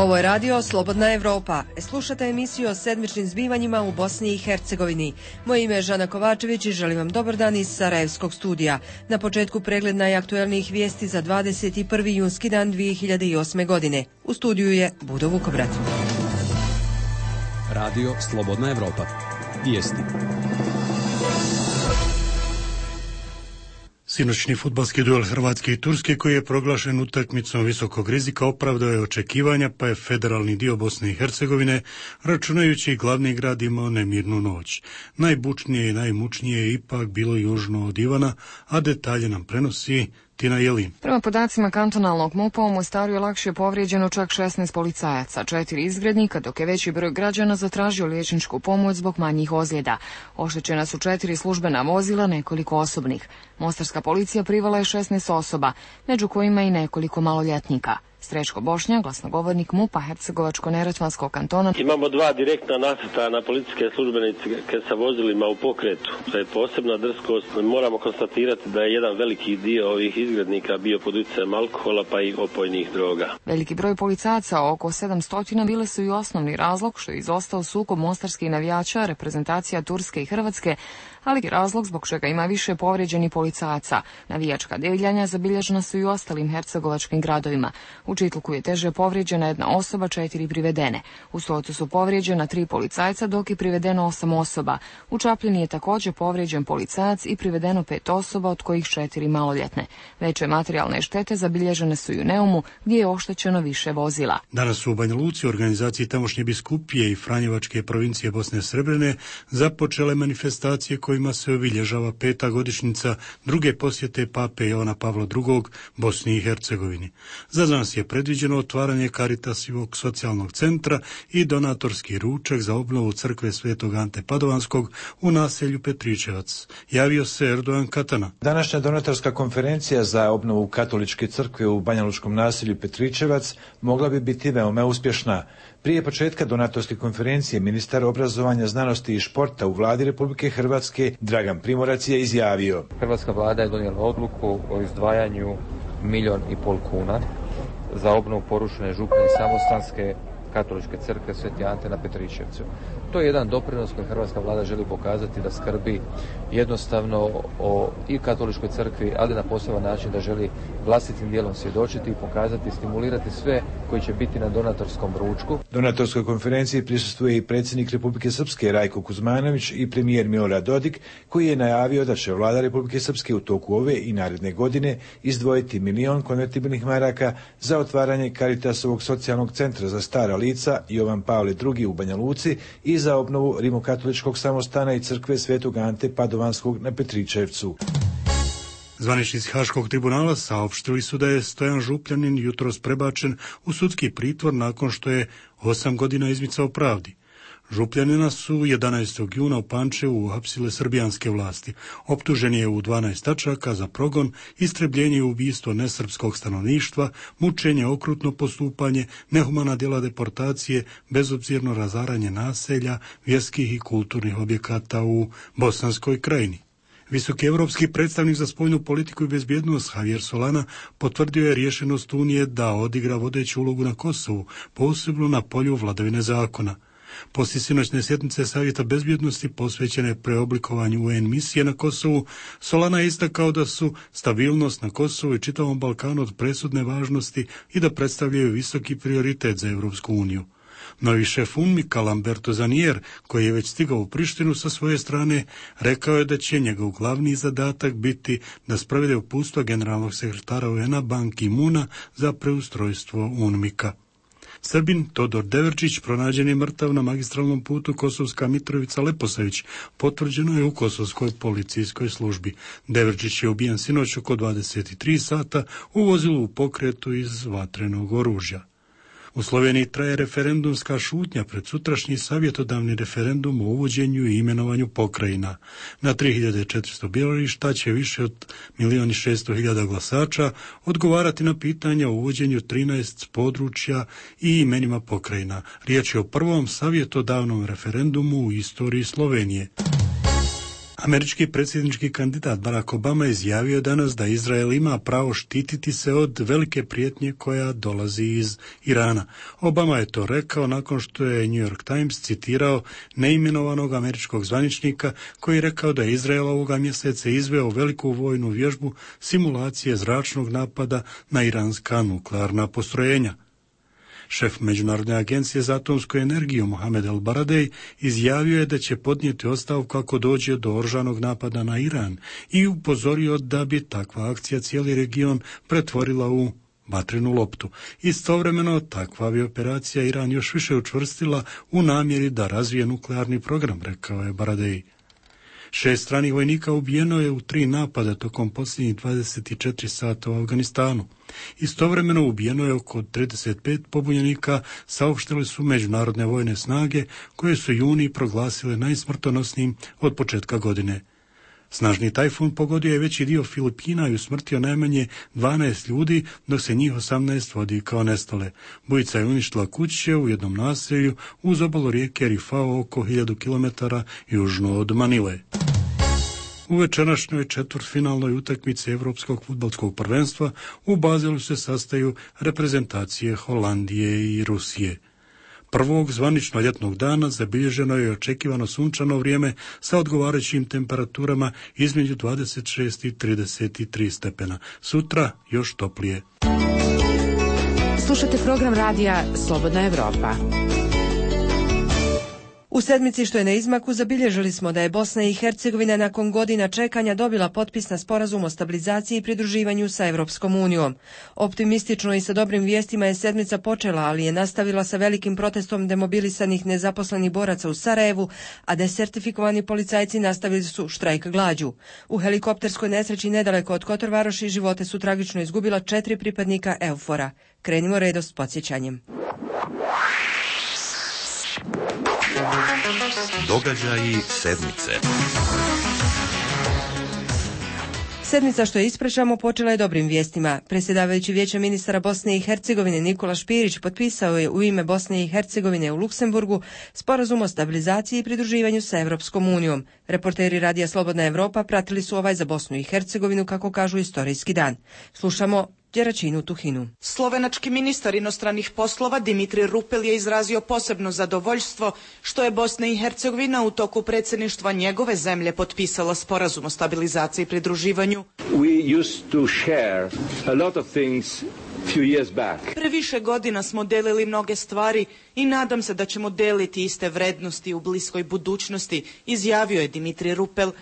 Ovo je radio Slobodna Evropa. Slušate emisiju o sedmičnim zbivanjima u Bosni i Hercegovini. Moje ime je Žana Kovačević i želim vam dobar dan iz Sarajevskog studija. Na početku pregled najaktuelnijih vijesti za 21. junski dan 2008. godine. U studiju je Budo Vukobrat. Radio Slobodna Evropa. Vijesti. Sinoćni fudbalski duel Hrvatske i Turske, koji je proglašen utakmicom visokog rizika, opravdao je očekivanja, pa je federalni dio Bosne i Hercegovine, računajući glavni grad, imao nemirnu noć. Najbučnije i najmučnije je ipak bilo južno od Ivana, a detalje nam prenosi Tina Jelin. Prema podacima kantonalnog MUP-a, u Mostaru je lakše povrijeđeno čak 16 policajaca, 4 izgrednika, dok je veći broj građana zatražio liječničku pomoć zbog manjih ozljeda. Oštećena su 4 službena vozila, nekoliko osobnih. Mostarska policija privala je 16 osoba, među kojima i nekoliko maloljetnika. Strečko Bošnjak, glasnogovornik MUP-a Hercegovačko-neretvanskog kantona. Imamo 2 direktna nasrtaja na policijske službenike sa vozilima u pokretu. To je posebna drskost. Moramo konstatirati da je jedan veliki dio ovih izgrednika bio pod utjecajem alkohola pa i opojnih droga. Veliki broj policajaca, oko 700, bile su i osnovni razlog što je izostao sukob mostarskih navijača, reprezentacija Turske i Hrvatske, ali i razlog zbog čega ima više povrijeđenih policajaca. Navijačka divljanja zabilježena su i u ostalim hercegovačkim gradovima. U Čitluku je teže povrijeđena jedna osoba, 4 privedene. U Stocu su povrijeđena 3 policajca, dok je privedeno 8 osoba. U Čapljini je također povrijeđen policajac i privedeno 5 osoba, od kojih 4 maloljetne. Veće materijalne štete zabilježene su i u Neumu, gdje je oštećeno više vozila. Danas su u Banja Luci, organizaciji tamošnje biskupije i Franjevačke provincije Bosne Srebrene, započele manifestacije kojima se obilježava 5. godišnjica druge posjete pape Jovana Pavla II. Bosni i Hercegovini. Za danas je predviđeno otvaranje Caritasovog socijalnog centra i donatorski ručak za obnovu crkve Svetog Ante Padovanskog u naselju Petričevac. Javio se Erdogan Katana. Današnja donatorska konferencija za obnovu katoličke crkve u banjalučkom naselju Petričevac mogla bi biti veoma uspješna. Prije početka donatorske konferencije ministar obrazovanja, znanosti i športa u vladi Republike Hrvatske Dragan Primorac je izjavio: Hrvatska vlada je donijela odluku o izdvajanju 1,5 milijuna kuna za obnovu porušene župne i samostanske katoličke crkve Sveti Ante na Petričevcu. To je jedan doprinos koji hrvatska vlada želi pokazati da skrbi jednostavno o i katoličkoj crkvi, ali na poseban način da želi vlastitim dijelom svjedočiti i pokazati, stimulirati sve koji će biti na donatorskom ručku. Donatorskoj konferenciji prisustvuje i predsjednik Republike Srpske Rajko Kuzmanović i premijer Milorad Dodik, koji je najavio da će vlada Republike Srpske u toku ove i naredne godine izdvojiti 1 milion konvertibilnih maraka za otvaranje Caritasovog socijalnog centra za stara lica Jovan Pavle II. U Banja Luci i za obnovu rimokatoličkog samostana i crkve Svetog Ante Padovanskog na Petričevcu. Zvaničnici Haškog tribunala saopštili su da je Stojan Župljanin jutros prebačen u sudski pritvor nakon što je 8 godina izmicao pravdi. Župljanina su 11. juna u Pančevu uhapsile srbijanske vlasti. Optužen je u 12 tačaka za progon, istrebljenje i ubistvo nesrpskog stanovništva, mučenje, okrutno postupanje, nehumana djela deportacije, bezobzirno razaranje naselja, vjerskih i kulturnih objekata u Bosanskoj krajini. Visoki evropski predstavnik za spoljnu politiku i bezbjednost Javier Solana potvrdio je rješenost Unije da odigra vodeću ulogu na Kosovu, posebno na polju vladavine zakona. Poslije sinoćne sjednice Savjeta bezbjednosti posvećene preoblikovanju UN misije na Kosovu, Solana je istakao da su stabilnost na Kosovu i čitavom Balkanu od presudne važnosti i da predstavljaju visoki prioritet za Evropsku uniju. Novi šef UNMIK-a Lamberto Zanier, koji je već stigao u Prištinu sa svoje strane, rekao je da će njegov glavni zadatak biti da sprovede uputstva generalnog sekretara UN-a Ban Ki-moona za preustrojstvo UNMIK-a. Srbin Todor Deverčić pronađen je mrtav na magistralnom putu Kosovska Mitrovica-Leposavić, potvrđeno je u kosovskoj policijskoj službi. Deverčić je ubijen sinoć oko 23 sata u vozilu u pokretu iz vatrenog oružja. U Sloveniji traje referendumska šutnja pred sutrašnji savjetodavni referendum o uvođenju i imenovanju pokrajina. Na 3400 birališta će više od 1.600.000 glasača odgovarati na pitanja o uvođenju 13 područja i imenima pokrajina. Riječ je o prvom savjetodavnom referendumu u istoriji Slovenije. Američki predsjednički kandidat Barack Obama izjavio danas da Izrael ima pravo štititi se od velike prijetnje koja dolazi iz Irana. Obama je to rekao nakon što je New York Times citirao neimenovanog američkog zvaničnika koji je rekao da je Izrael ovoga mjeseca izveo veliku vojnu vježbu simulacije zračnog napada na iranska nuklearna postrojenja. Šef Međunarodne agencije za atomsku energiju Mohamed El Baradej izjavio je da će podnijeti ostavku ako dođe do oružanog napada na Iran i upozorio da bi takva akcija cijeli region pretvorila u vatrenu loptu. Istovremeno, takva bi operacija Iran još više učvrstila u namjeri da razvije nuklearni program, rekao je Baradej. 6 stranih vojnika ubijeno je u 3 napada tokom posljednjih 24 sata u Afganistanu. Istovremeno ubijeno je oko 35 pobunjenika, saopštile su međunarodne vojne snage, koje su juni proglasile najsmrtonosnijim od početka godine. Snažni tajfun pogodio je veći dio Filipina i usmrtio najmanje 12 ljudi, dok se njih 18 vodi kao nestale. Bujica je uništila kuće u jednom naselju uz obalu rijeke Rifao oko 1000 km južno od Manile. U večerašnjoj četvrtfinalnoj utakmici Europskog fudbalskog prvenstva u Bazelu se sastaju reprezentacije Holandije i Rusije. Prvog zvanično ljetnog dana zabilježeno je očekivano sunčano vrijeme sa odgovarajućim temperaturama između 26 i 33 stepena. Sutra još toplije. Slušate program radija Slobodna Evropa. U sedmici što je na izmaku zabilježili smo da je Bosna i Hercegovina nakon godina čekanja dobila potpis na sporazum o stabilizaciji i pridruživanju sa Evropskom unijom. Optimistično i sa dobrim vijestima je sedmica počela, ali je nastavila sa velikim protestom demobilisanih nezaposlenih boraca u Sarajevu, a desertifikovani policajci nastavili su štrajk glađu. U helikopterskoj nesreći nedaleko od Kotor-Varoši živote su tragično izgubila 4 pripadnika EUFOR-a. Krenimo redom s podsjećanjem. Događaji sedmice. Sedmica što je ispričamo počela je dobrim vijestima. Predsjedavajući Vijeća ministara Bosne i Hercegovine Nikola Špirić potpisao je u ime Bosne i Hercegovine u Luksemburgu sporazum o stabilizaciji i pridruživanju sa Evropskom unijom. Reporteri Radija Slobodna Evropa pratili su ovaj za Bosnu i Hercegovinu, kako kažu, istorijski dan. Slušamo Đeračinu Tuhinu. Slovenački ministar inostranih poslova Dimitri Rupel je izrazio posebno zadovoljstvo što je Bosna i Hercegovina u toku predsjedništva njegove zemlje potpisala sporazum o stabilizaciji i pridruživanju. Pre više godina smo delili mnoge stvari i nadam se da ćemo deliti iste vrednosti u bliskoj budućnosti, izjavio je Dimitri Rupel.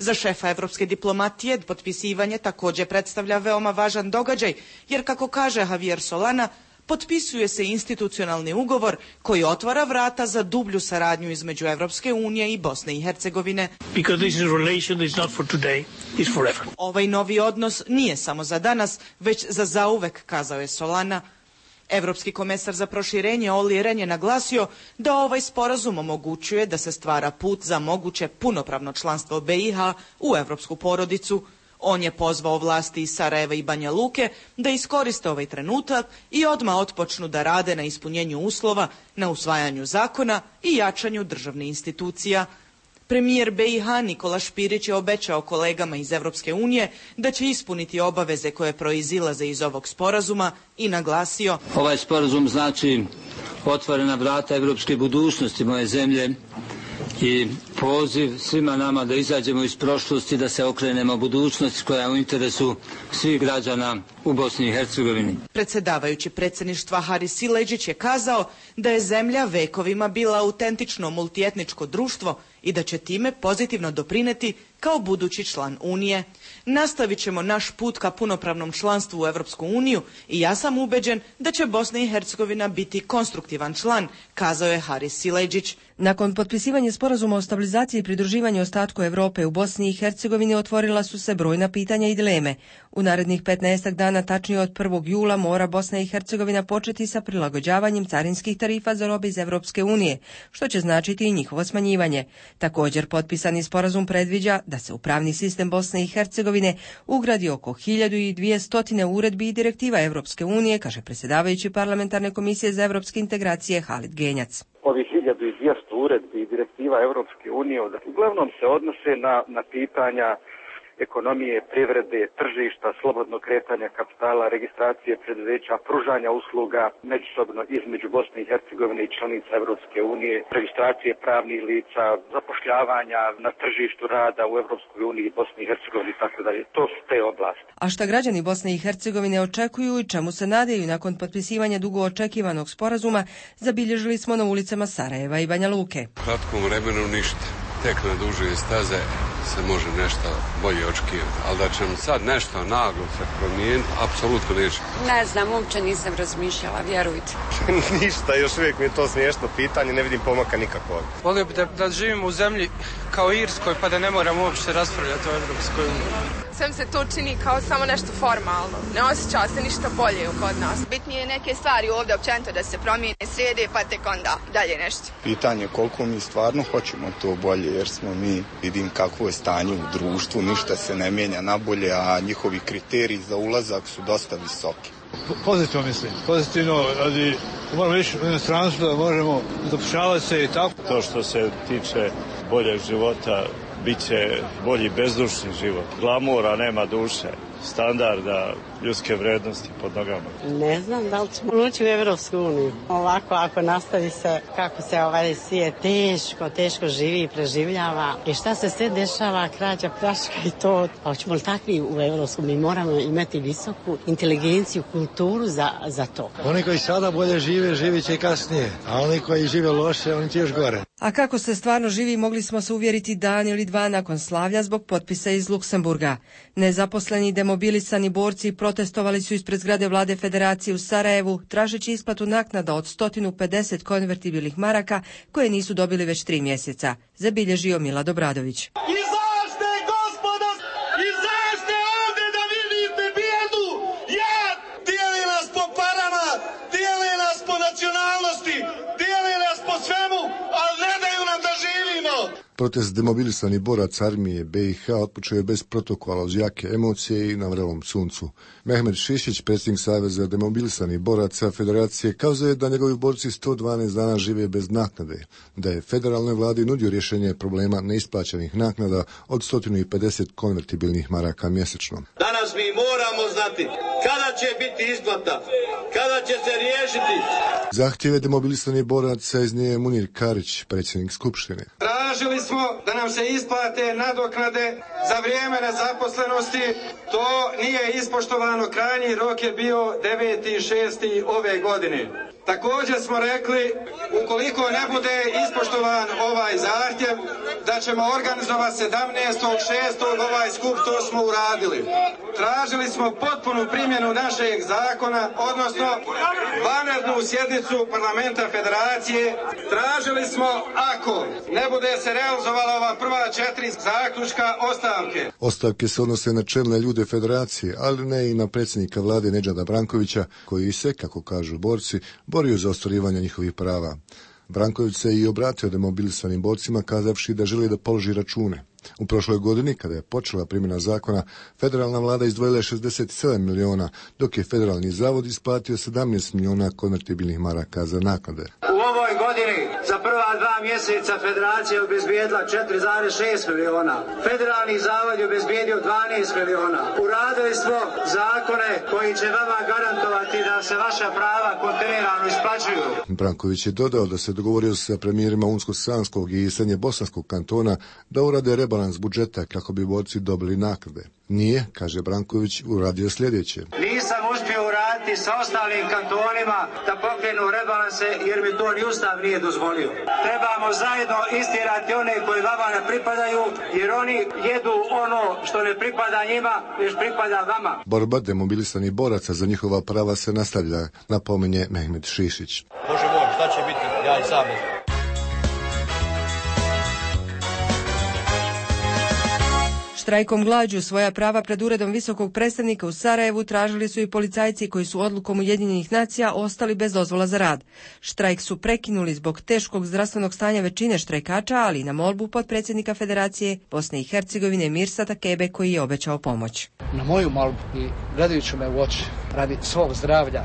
Za šefa evropske diplomatije potpisivanje također predstavlja veoma važan događaj, jer kako kaže Javier Solana, potpisuje se institucionalni ugovor koji otvara vrata za dublju saradnju između Evropske unije i Bosne i Hercegovine. Ovaj novi odnos nije samo za danas, već za zauvek, kazao je Solana. Evropski komesar za proširenje Olli Rehn je naglasio da ovaj sporazum omogućuje da se stvara put za moguće punopravno članstvo BiH u evropsku porodicu. On je pozvao vlasti iz Sarajeva i Banja Luke da iskoriste ovaj trenutak i odmah otpočnu da rade na ispunjenju uslova, na usvajanju zakona i jačanju državnih institucija. Premijer BiH Nikola Špirić je obećao kolegama iz Evropske unije da će ispuniti obaveze koje proizilaze iz ovog sporazuma i naglasio: ovaj sporazum znači otvorena vrata evropske budućnosti moje zemlje i poziv svima nama da izađemo iz prošlosti, da se okrenemo budućnosti koja je u interesu svih građana u Bosni i Hercegovini. Predsjedavajući predsjedništva Haris Sileđić je kazao da je zemlja vekovima bila autentično multietničko društvo i da će time pozitivno doprineti kao budući član Unije. Nastavit ćemo naš put ka punopravnom članstvu u Evropsku uniju i ja sam ubeđen da će Bosna i Hercegovina biti konstruktivan član, kazao je Haris Sileđić. Nakon potpisivanja sporazuma o stabilizaciji i pridruživanju ostatku Europe u Bosni i Hercegovini otvorila su se brojna pitanja i dileme. U narednih 15 dana, tačnije od 1. jula, mora Bosna i Hercegovina početi sa prilagođavanjem carinskih tarifa za robe iz Evropske unije, što će značiti i njihovo smanjivanje. Također, potpisani sporazum predviđa da se u pravni sistem Bosne i Hercegovine ugradi oko 1200 uredbi i direktiva Evropske unije, kaže predsjedavajući parlamentarne komisije za evropske integracije Halid Genjac. Ovi 1200 uredbi i direktiva Europske unije, uglavnom se odnose na pitanja ekonomije, privrede, tržišta, slobodnog kretanja kapitala, registracije preduzeća, pružanja usluga međusobno između Bosne i Hercegovine i članica Europske unije, registracije pravnih lica, zapošljavanja na tržištu rada u Europskoj uniji, Bosni i Hercegovini i tako dalje. To su te oblasti. A šta građani Bosne i Hercegovine očekuju i čemu se nadaju nakon potpisivanja dugo očekivanog sporazuma, zabilježili smo na ulicama Sarajeva i Banja Luke. U kratkom vremenu ništa. Tek na duže staze se može nešto bolje očekivati, ali da će sad nešto naglo se promijeniti, apsolutno neće. Ne znam, uopće nisam razmišljala, vjerujte. Ništa, još uvijek mi je to smiješno pitanje, ne vidim pomaka nikakvog. Volio bi da živimo u zemlji kao Irskoj, pa da ne moramo uopće raspravljati o Europskoj uniji. Sve se to čini kao samo nešto formalno. Ne osjeća se ništa bolje kod nas. Bitnije je neke stvari ovdje općenito da se promijene, srede, pa tek onda dalje nešto. Pitanje koliko mi stvarno hoćemo to bolje, jer smo mi, vidim kakvo je stanje u društvu, ništa se ne mijenja na bolje, a njihovi kriteriji za ulazak su dosta visoki. Pozitivno mislim, pozitivno, radi, moramo ići u inostranstvo da možemo zapošljavati se i tako. To što se tiče boljeg života, bit će bolji bezdušni život. Glamura nema duše, standarda, ljudske vrednosti pod nogama. Ne znam da li ćemo ući u Evropsku uniju. Ovako, ako nastavi se kako se ovaj svijet teško živi i preživljava i šta se sve dešava, krađa, pljačka i to. A hoćemo li takvi u Evropsku? Mi moramo imati visoku inteligenciju, kulturu za to. Oni koji sada bolje žive, živit će i kasnije, a oni koji žive loše, oni će još gore. A kako se stvarno živi, mogli smo se uvjeriti dan ili dva nakon slavlja zbog potpisa iz Luksemburga. Nezaposleni i demobilisani borci protestovali su ispred zgrade vlade Federacije u Sarajevu, tražeći isplatu naknada od 150 konvertibilnih maraka koje nisu dobili već 3 mjeseca, zabilježio Milad Obradović. Izašte, gospodo, izašte ovdje da vidite bijedu. Dijeli nas po parama, dijeli nas po nacionalnosti, dijeli nas po svemu, ali ne daju nam da živimo. Protest demobilisanih boraca armije BiH otpočeo je bez protokola uz jake emocije i na vrelom suncu. Mehmed Šišić, predsjednik Saveza demobilisanih boraca Federacije, kazao je da njegovi borci 112 dana žive bez naknade, da je federalnoj vladi nudio rješenje problema neisplaćenih naknada od 150 konvertibilnih maraka mjesečno. Danas mi moramo znati kada će biti isplata, kada će se riješiti. Zahtjeve demobilisanih boraca iznio je Munir Karić, predsjednik Skupštine. Tražili smo da nam se isplate nadoknade za vrijeme nezaposlenosti. To nije ispoštovano, krajnji rok je bio 9.6. ove godine. Također smo rekli, ukoliko ne bude ispoštovan ovaj zahtjev, da ćemo organizovati 17.6. ovaj skup, to smo uradili. Tražili smo potpunu primjenu našeg zakona, odnosno vanrednu sjednicu parlamenta Federacije. Tražili smo, ako ne bude se realizovala ova prva 4 zaključka, ostavke. Ostavke se odnose na čelne ljude Federacije, ali ne i na predsjednika vlade Nedžada Brankovića, koji se, kako kažu borci, borio za ostvarivanje njihovih prava. Branković se i obratio demobilisanim borcima kazavši da želi da položi račune. U prošloj godini, kada je počela primjena zakona, federalna vlada izdvojila je 67 miliona, dok je federalni zavod isplatio 17 miliona konvertibilnih maraka za naknade. U ovoj godini za prva 2 mjeseca Federacija je obezbijedila 4,6 miliona. Federalni zavod je obezbijedio 12 miliona. Uradili smo zakone koji će vama garantovati da se vaša prava kontinuirano isplaćuju. Branković je dodao da se dogovorio sa premijerima Unsko-Sanskog i Srednje-Bosanskog kantona da urade rebalans budžeta kako bi borci dobili naknade. Nije, kaže Branković, uradio sljedeće. Nisam uspio uraditi sa ostalim kantonima da pokrenu rebalanse jer mi to ni Ustav nije dozvolio. Trebamo zajedno istjerati one koji vama ne pripadaju jer oni jedu ono što ne pripada njima, već pripada vama. Borba demobilisanih boraca za njihova prava se nastavlja, napominje Mehmed Šišić. Bože moj, šta će biti? Ja i sam. Štrajkom glađu svoja prava pred uredom visokog predstavnika u Sarajevu tražili su i policajci koji su odlukom Ujedinjenih nacija ostali bez dozvola za rad. Štrajk su prekinuli zbog teškog zdravstvenog stanja većine štrajkača, ali i na molbu potpredsjednika Federacije Bosne i Hercegovine Mirsata Kebe koji je obećao pomoć. Na moju molbu i gledajući me u oči radi svog zdravlja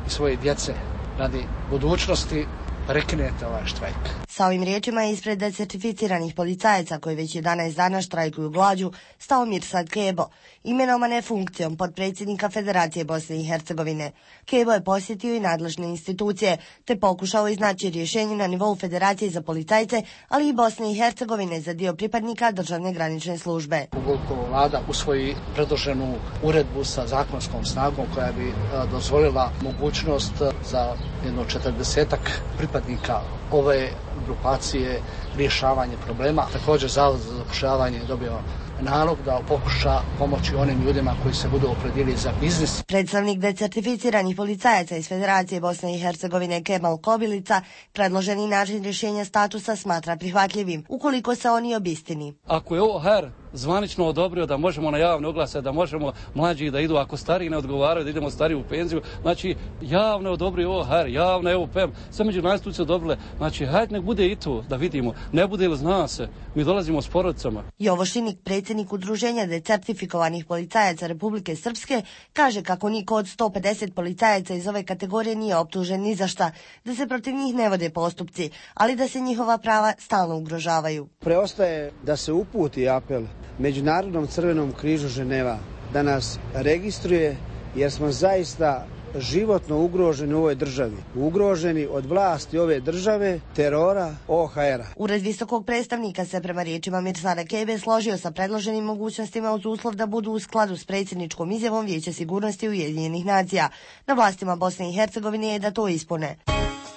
i svoje djece, radi budućnosti, prekinete ovaj štrajk. Sa ovim riječima je ispred decertificiranih policajaca koji već 11 dana štrajkuju glađu stao Mirsad Kebo, imenovane funkcijom potpredsjednika Federacije Bosne i Hercegovine. Kebo je posjetio i nadležne institucije te pokušao iznaći rješenje na nivou Federacije za policajce, ali i Bosne i Hercegovine za dio pripadnika državne granične službe. Ukoliko vlada usvoji predloženu uredbu sa zakonskom snagom koja bi dozvolila mogućnost za jedno 40-ak pripadnika ove grupacije rješavanje problema. Također Zavod za zapošljavanje je dobio nalog da pokuša pomoći onim ljudima koji se budu opredjelili za biznis. Predstavnik decertificiranih policajaca iz Federacije Bosne i Hercegovine Kemal Kobilica predloženi način rješenja statusa smatra prihvatljivim, ukoliko se oni obistini. Ako je ovo HR zvanično odobrio da možemo na javne oglase, da možemo mlađi da idu, ako stariji ne odgovaraju da idemo stariji u penziju, znači javno odobrio ovo HR, javno evo PEM, sve međunarodne institucije odobrile, znači hajde nek bude i to da vidimo, ne bude ili zna se, mi dolazimo s porodicama. Jovo Šinik, predsjednik Udruženja decertifikovanih policajaca Republike Srpske, kaže kako niko od 150 policajaca iz ove kategorije nije optužen ni za šta, da se protiv njih ne vode postupci, ali da se njihova prava stalno ugrožavaju. Preostaje da se uputi apel Međunarodnom crvenom križu Ženeva da nas registruje, jer smo zaista životno ugroženi u ovoj državi. Ugroženi od vlasti ove države, terora, OHR-a. Ured visokog predstavnika se prema riječima Mirsada Kebe složio sa predloženim mogućnostima uz uslov da budu u skladu s predsjedničkom izjavom Vijeća sigurnosti Ujedinjenih nacija. Na vlastima Bosne i Hercegovine je da to ispune.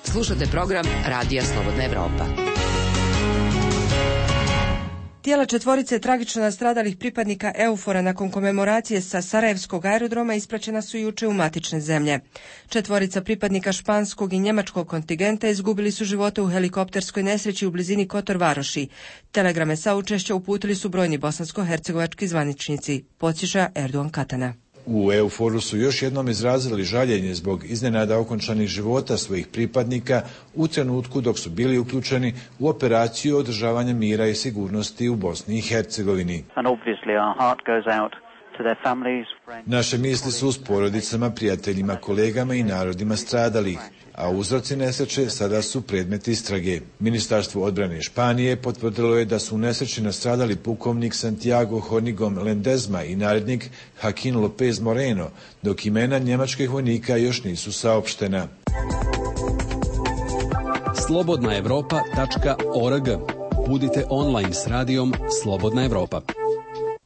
Slušate program Radija Slobodna Evropa. Tijela četvorice tragično nastradalih pripadnika EUFOR-a nakon komemoracije sa Sarajevskog aerodroma ispraćena su juče u matične zemlje. Četvorica pripadnika španskog i njemačkog kontingenta izgubili su živote u helikopterskoj nesreći u blizini Kotor Varoši. Telegrame saučešća uputili su brojni bosansko-hercegovački zvaničnici, podsjeća Erdogan Katana. U EUFOR-u su još jednom izrazili žaljenje zbog iznenada okončanih života svojih pripadnika u trenutku dok su bili uključeni u operaciju održavanja mira i sigurnosti u Bosni i Hercegovini. Naše misli su s porodicama, prijateljima, kolegama i narodima stradalih, a uzroci nesreće sada su predmet istrage. Ministarstvo odbrane Španije potvrdilo je da su u nesreći nastradali pukovnik Santiago Hornigom Lendezma i narednik Joaquin López Moreno, dok imena njemačkih vojnika još nisu saopštena. slobodnaevropa.org. Budite online s radijom Slobodna Evropa.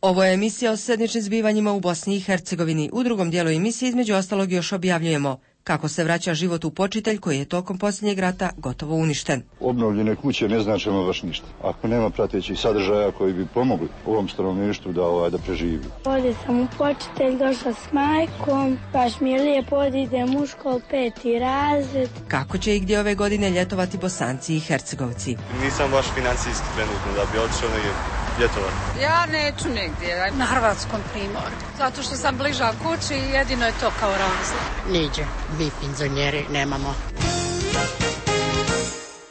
Ovo je emisija o sedmičnim zbivanjima u Bosni i Hercegovini. U drugom dijelu emisije između ostalog još objavljujemo kako se vraća život u Počitelj koji je tokom posljednjeg rata gotovo uništen. Obnovljene kuće ne značimo baš ništa. Ako nema pratećih sadržaja koji bi pomogli ovom stanovništvu da preživi. Ovdje sam u Počitelj, došla s majkom, baš mi je lijepo, idem u školu 5. razred. Kako će i gdje ove godine ljetovati Bosanci i Hercegovci? Nisam baš financijski trenutno da bi otišao negdje ljetovati. Ja neću negdje, na hrvatskom Primorju. Zato što sam bliža kući i jedino je to kao razlog. Niđe, vi penzioneri nemamo.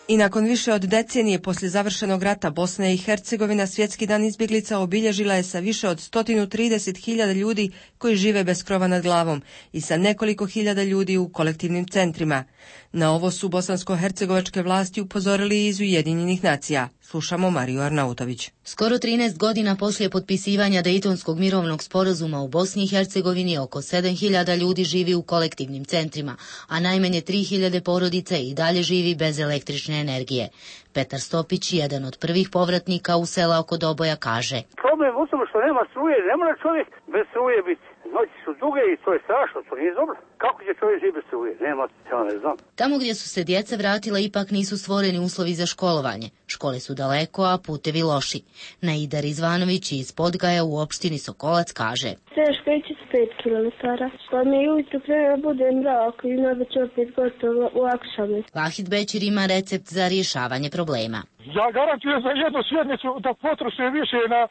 I nakon više od decenije poslije završenog rata Bosna i Hercegovina Svjetski dan izbjeglica obilježila je sa više od 130.000 ljudi koji žive bez krova nad glavom i sa nekoliko hiljada ljudi u kolektivnim centrima. Na ovo su bosansko-hercegovačke vlasti upozorili iz Ujedinjenih nacija. Slušamo Mariju Arnautović. Skoro 13 godina poslije potpisivanja Dejtonskog mirovnog sporazuma u Bosni i Hercegovini oko 7.000 ljudi živi u kolektivnim centrima, a najmanje 3.000 porodica i dalje živi bez električne energije. Petar Stopić, jedan od prvih povratnika u sela oko Doboja, kaže: Problem u tome što nema struje, ne mora čovjek bez struje biti. Noći su duge i to je strašno, to nije dobro. Kako će čovjek živjeti bez struje? Nema, ja ne znam. Tamo gdje su se djeca vratila ipak nisu stvoreni uslovi za školovanje. Škole su daleko, a putevi loši. Naida Rizvanović iz Podgaja u opštini Sokolac kaže: Teško ići 5 km. Pa mi ujutru prema bude mrak i onda će opet gotovo u akšame. Vahid Bećir ima recept za rješavanje problema. Ja garantujem za jednu sjednicu da potroše više na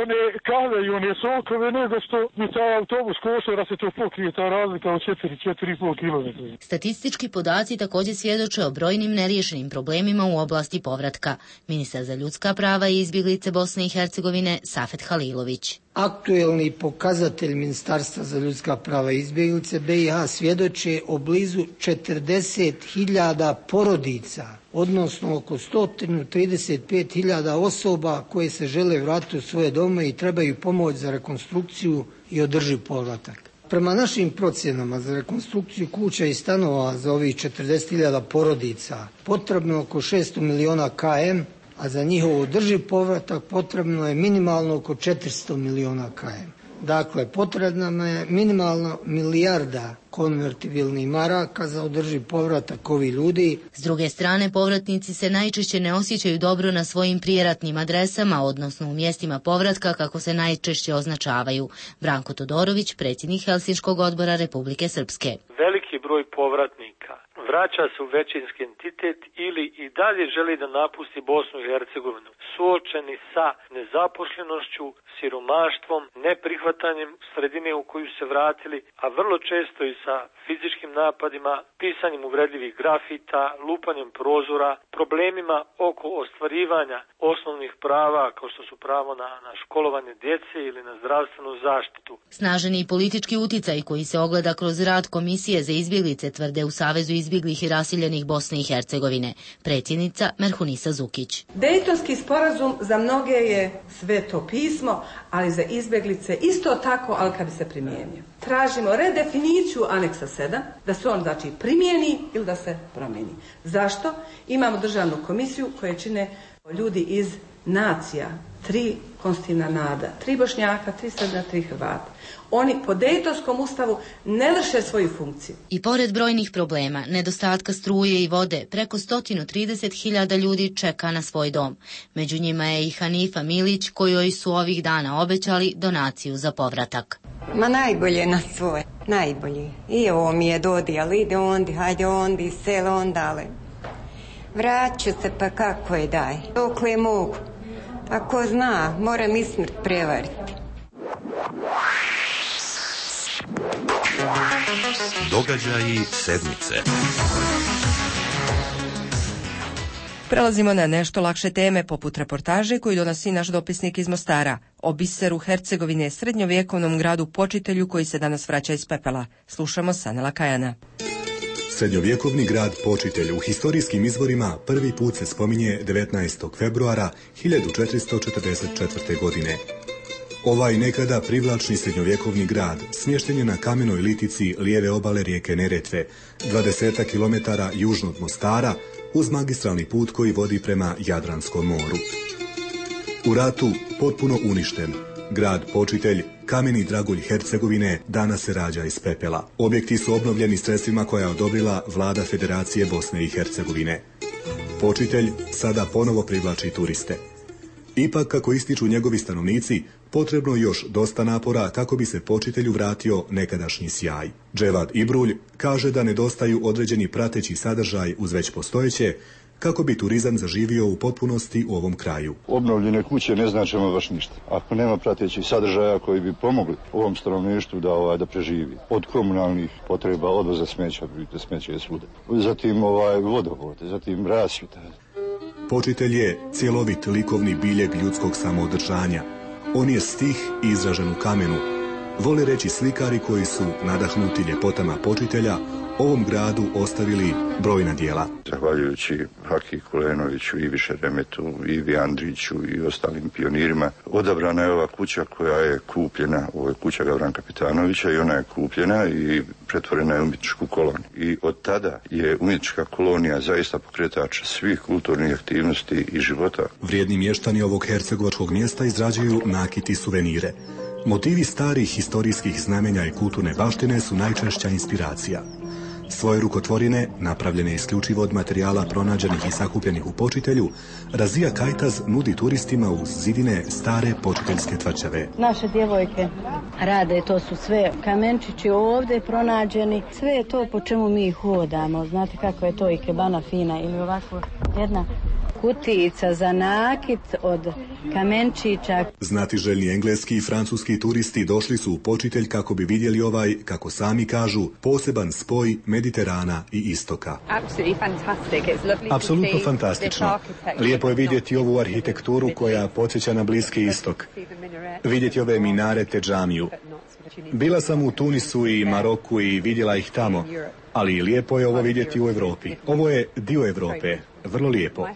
one kave i one sokove nego što mi taj autobus košta da se to pokrije ta razlika od 4,5 km. Statistički podaci također svjedoče o brojnim neriješenim problemima u oblasti povratka. Ministar za ljudska prava i izbjeglice Bosne i Hercegovine Safet Halilović. Aktuelni pokazatelj Ministarstva za ljudska prava i izbjeglice BiH svjedoče o blizu 40.000 porodica, odnosno oko 135.000 osoba koje se žele vratiti u svoje dome i trebaju pomoć za rekonstrukciju i održiv povratak. Prema našim procjenama za rekonstrukciju kuća i stanova za ovih 40.000 porodica potrebno oko 600 miliona km, a za njihov održiv povratak potrebno je minimalno oko 400 miliona km. Dakle, potrebna je minimalno milijarda konvertibilnih maraka za održiv povratak ovih ljudi. S druge strane, povratnici se najčešće ne osjećaju dobro na svojim prijeratnim adresama, odnosno u mjestima povratka kako se najčešće označavaju. Branko Todorović, predsjednik Helsinškog odbora Republike Srpske. Veliki broj povratnika vraća se u većinski entitet ili i dalje želi da napusti Bosnu i Hercegovinu, suočeni sa nezaposlenošću, siromaštvom, neprihvatanjem sredine u koju se vratili, a vrlo često i sa fizičkim napadima, pisanjem uvredljivih grafita, lupanjem prozora, problemima oko ostvarivanja osnovnih prava kao što su pravo na školovanje djece ili na zdravstvenu zaštitu. Snaženi politički uticaj koji se ogleda kroz rad Komisije za izbjeglice tvrde u Savezu izbjeglih i raseljenih Bosne i Hercegovine, predsjednica Merhunisa Zukić. Dejtonski sporazum za mnoge je sveto pismo, ali za izbjeglice isto tako, ali kad bi se primijenio. Tražimo redefiniciju aneksa 7, da se on znači primijeni ili da se promijeni. Zašto? Imamo državnu komisiju koje čine ljudi iz nacija, 3 konstitutivna naroda, 3 Bošnjaka, 3 Srba, 3 Hrvata. Oni po Dejtonskom ustavu ne vrše svoju funkciju. I pored brojnih problema, nedostatka struje i vode, preko 130.000 ljudi čeka na svoj dom. Među njima je i Hanifa Milić, kojoj su ovih dana obećali donaciju za povratak. Ma najbolje na svoje, najbolje. I ovo mi je dodijali, ide ondi, hajde ondi, selo ondale. Vraću se pa kako je daj, dokle mogu. Ako zna, moram i smrt prevariti. Događaji sedmice. Prelazimo na nešto lakše teme, poput reportaže koju donosi naš dopisnik iz Mostara o biseru Hercegovine, srednjovjekovnom gradu Počitelju koji se danas vraća iz pepela. Slušamo Sanela Kajana. Srednjovjekovni grad Počitelj u historijskim izvorima prvi put se spominje 19. februara 1444. godine. Ovaj nekada privlačni srednjovjekovni grad smješten je na kamenoj litici lijeve obale rijeke Neretve, 20 km južno od Mostara, uz magistralni put koji vodi prema Jadranskom moru. U ratu potpuno uništen, grad Počitelj, kameni dragulj Hercegovine, danas se rađa iz pepela. Objekti su obnovljeni sredstvima koja je odobrila vlada Federacije Bosne i Hercegovine. Počitelj sada ponovo privlači turiste. Ipak, kako ističu njegovi stanovnici, potrebno još dosta napora kako bi se Počitelju vratio nekadašnji sjaj. Dževad Ibrulj kaže da nedostaju određeni prateći sadržaj uz već postojeće, kako bi turizam zaživio u potpunosti u ovom kraju. Obnovljene kuće ne znače baš ništa. Ako nema pratećih sadržaja koji bi pomogli ovom stanovništvu da preživi. Od komunalnih potreba, odvoza smeća, smeće je svuda. Zatim vodovod, zatim rasvjeta. Počitelj je cjelovit likovni biljeg ljudskog samoodržanja. On je stih izražen u kamenu. Vole reći slikari koji su, nadahnuti ljepotama Počitelja, ovom gradu ostavili brojna djela. Zahvaljujući Haki Kulenoviću, Ivi Šeremetu, Ivi Andriću i ostalim pionirima, odabrana je ova kuća koja je kupljena, ovo je kuća Gavran Kapitanovića i ona je kupljena i pretvorena je u umjetničku koloniju. I od tada je umjetnička kolonija zaista pokretač svih kulturnih aktivnosti i života. Vrijedni mještani ovog hercegovačkog mjesta izrađuju nakit i suvenire. Motivi starih historijskih znamenja i kulturne baštine su najčešća inspiracija. Svoje rukotvorine, napravljene isključivo od materijala pronađenih i sakupljenih u Počitelju, Razija Kajtaz nudi turistima uz zidine stare počiteljske tvrđave. Naše djevojke rade, to su sve kamenčići ovdje pronađeni, sve je to po čemu mi hodamo. Znate kako je to ikebana fina ili ovako jedna kutijica za nakit, od kamenčića. Znatiželjni engleski i francuski turisti došli su u Počitelj kako bi vidjeli ovaj, kako sami kažu, poseban spoj Mediterana i istoka. Apsolutno fantastično. Lijepo je vidjeti ovu arhitekturu koja podsjeća na Bliski istok. Vidjeti ove minarete, džamiju. Bila sam u Tunisu i Maroku i vidjela ih tamo, ali lijepo je ovo vidjeti u Europi. Ovo je dio Europe, vrlo lijepo.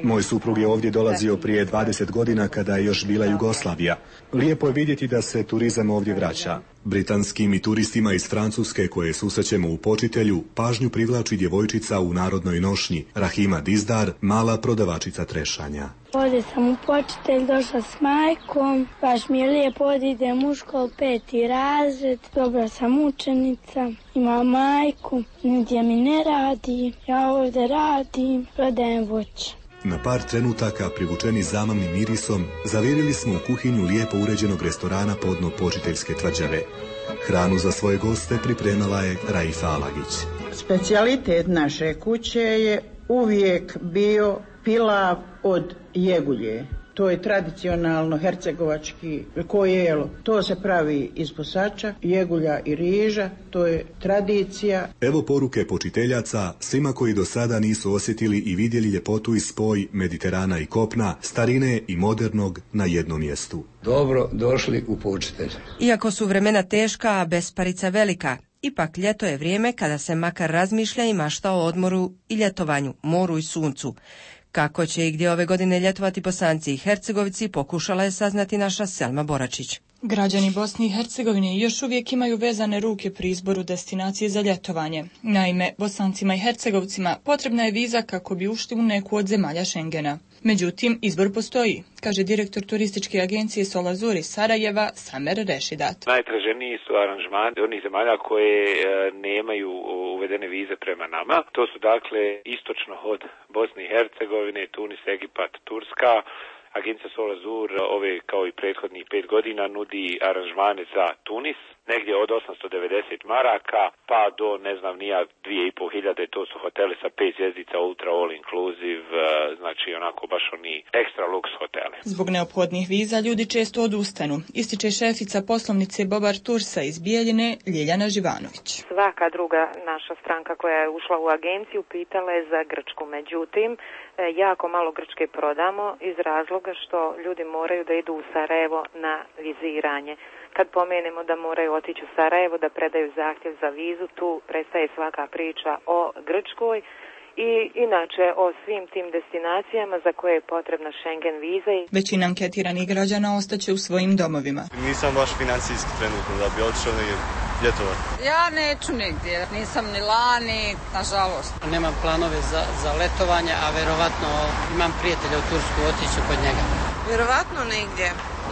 Moj suprug je ovdje dolazio prije 20 godina kada je još bila Jugoslavija. Lijepo je vidjeti da se turizam ovdje vraća. Britanskim i turistima iz Francuske koje susrećemo u Počitelju pažnju privlači djevojčica u narodnoj nošnji, Rahima Dizdar, mala prodavačica trešanja. Ovdje sam u Počitelj, došla s majkom, baš mi je lijepo, idem u školu 5. razred, dobra sam učenica, imam majku, nigdje mi ne radi, ja ovdje radim, prodajem voće. Na par trenutaka, privučeni zamamnim mirisom, zavirili smo u kuhinju lijepo uređenog restorana podno Počiteljske tvrđave. Hranu za svoje goste pripremala je Raifa Alagić. Specijalitet naše kuće je uvijek bio pilav od jegulje. To je tradicionalno hercegovački kojelo. To se pravi iz posača, jegulja i riža. To je tradicija. Evo poruke počiteljaca svima koji do sada nisu osjetili i vidjeli ljepotu i spoj Mediterana i kopna, starine i modernog na jednom mjestu. Dobro došli u Počitelj. Iako su vremena teška, a besparica velika, ipak ljeto je vrijeme kada se makar razmišlja i mašta o odmoru i ljetovanju, moru i suncu. Kako će i gdje ove godine ljetovati Bosanci i Hercegovci, pokušala je saznati naša Selma Boračić. Građani Bosne i Hercegovine još uvijek imaju vezane ruke pri izboru destinacije za ljetovanje. Naime, Bosancima i Hercegovcima potrebna je viza kako bi ušli u neku od zemalja Schengena. Međutim, izbor postoji, kaže direktor turističke agencije Solazur iz Sarajeva, Samer Rešidat. Najtraženiji su aranžmani onih zemalja koje nemaju uvedene vize prema nama. To su dakle istočno od Bosne i Hercegovine, Tunis, Egipat, Turska. Agencija Solazur ove kao i prethodnih 5 godina nudi aranžmane za Tunis, negdje od 890 maraka pa do ne znam nija 2500, to su hoteli sa 5 zvjezdica, ultra all inclusive, znači onako baš oni ekstra luks hoteli. Zbog neophodnih viza ljudi često odustanu, ističe šefica poslovnice Bobar Tursa iz Bijeljine, Ljiljana Živanović. Svaka druga naša stranka koja je ušla u agenciju pitala je za Grčku, međutim jako malo Grčke prodamo iz razloga što ljudi moraju da idu u Sarajevo na viziranje. Kad pomenemo da moraju otići u Sarajevo da predaju zahtjev za vizu, tu prestaje svaka priča o Grčkoj i inače o svim tim destinacijama za koje je potrebna Schengen viza. Većina anketiranih građana ostaće u svojim domovima. Nisam baš financijski trenutno da bi otišao ljetovati. Ja neću nigdje, nisam ni lani, nažalost. Nemam planove za letovanje, a verovatno imam prijatelja u Tursku, otiću kod njega. Verovatno nigdje.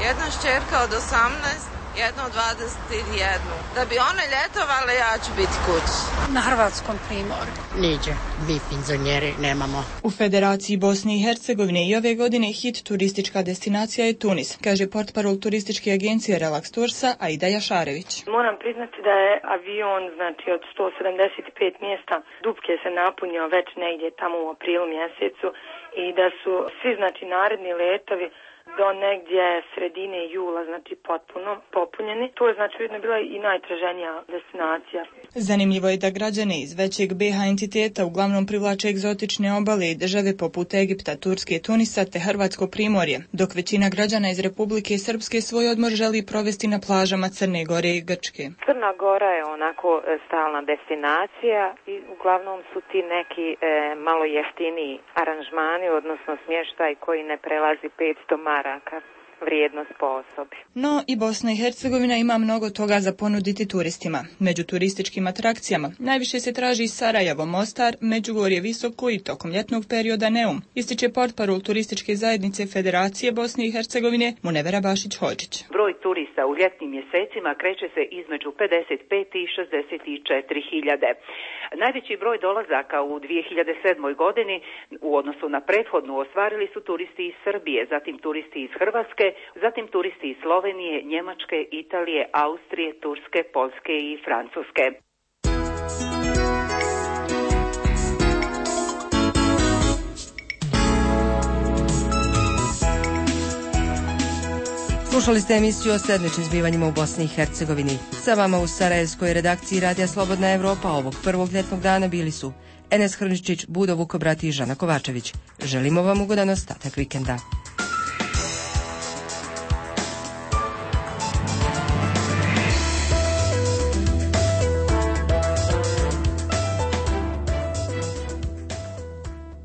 Jedna šćerka od 18, jedno od 21. Da bi one ljetovale, ja ću biti kući. Na hrvatskom primorju. Niđe, vi penzionjeri nemamo. U Federaciji Bosne i Hercegovine i ove godine hit turistička destinacija je Tunis, kaže portparol turističke agencije Relax Tursa Aida Jašarević. Moram priznati da je avion, znači od 175 mjesta, dupke se napunio već negdje tamo u aprilu mjesecu i da su svi, znači, naredni letovi do negdje sredine jula, znači potpuno popunjeni. To je znači ujedno bila i najtraženija destinacija. Zanimljivo je da građane iz većeg BH entiteta uglavnom privlače egzotične obale i države poput Egipta, Turske, Tunisa te Hrvatsko primorje, dok većina građana iz Republike Srpske svoj odmor želi provesti na plažama Crne Gore i Grčke. Crna Gora je onako stalna destinacija i uglavnom su ti neki malo jeftiniji aranžmani, odnosno smještaj koji ne prelazi 500 maraka vrijednost po osobi. No i Bosna i Hercegovina ima mnogo toga za ponuditi turistima. Među turističkim atrakcijama najviše se traži Sarajevo, Mostar, Međugorje Visoko i tokom ljetnog perioda Neum, ističe portparol turističke zajednice Federacije Bosne i Hercegovine Munevera Bašić-Hodžić. Broj turista u ljetnim mjesecima kreće se između 55 i 64 hiljade. Najveći broj dolazaka u 2007. godini u odnosu na prethodnu ostvarili su turisti iz Srbije, zatim turisti iz Hrvatske, zatim turisti iz Slovenije, Njemačke, Italije, Austrije, Turske, Poljske i Francuske. Slušali ste emisiju o sedmičnim zbivanjima u Bosni i Hercegovini. Sa vama u sarajevskoj redakciji Radija Slobodna Evropa ovog prvog ljetnog dana bili su Enes Hrničić, Budo Vukobrat i Žana Kovačević. Želimo vam ugodan ostatak vikenda.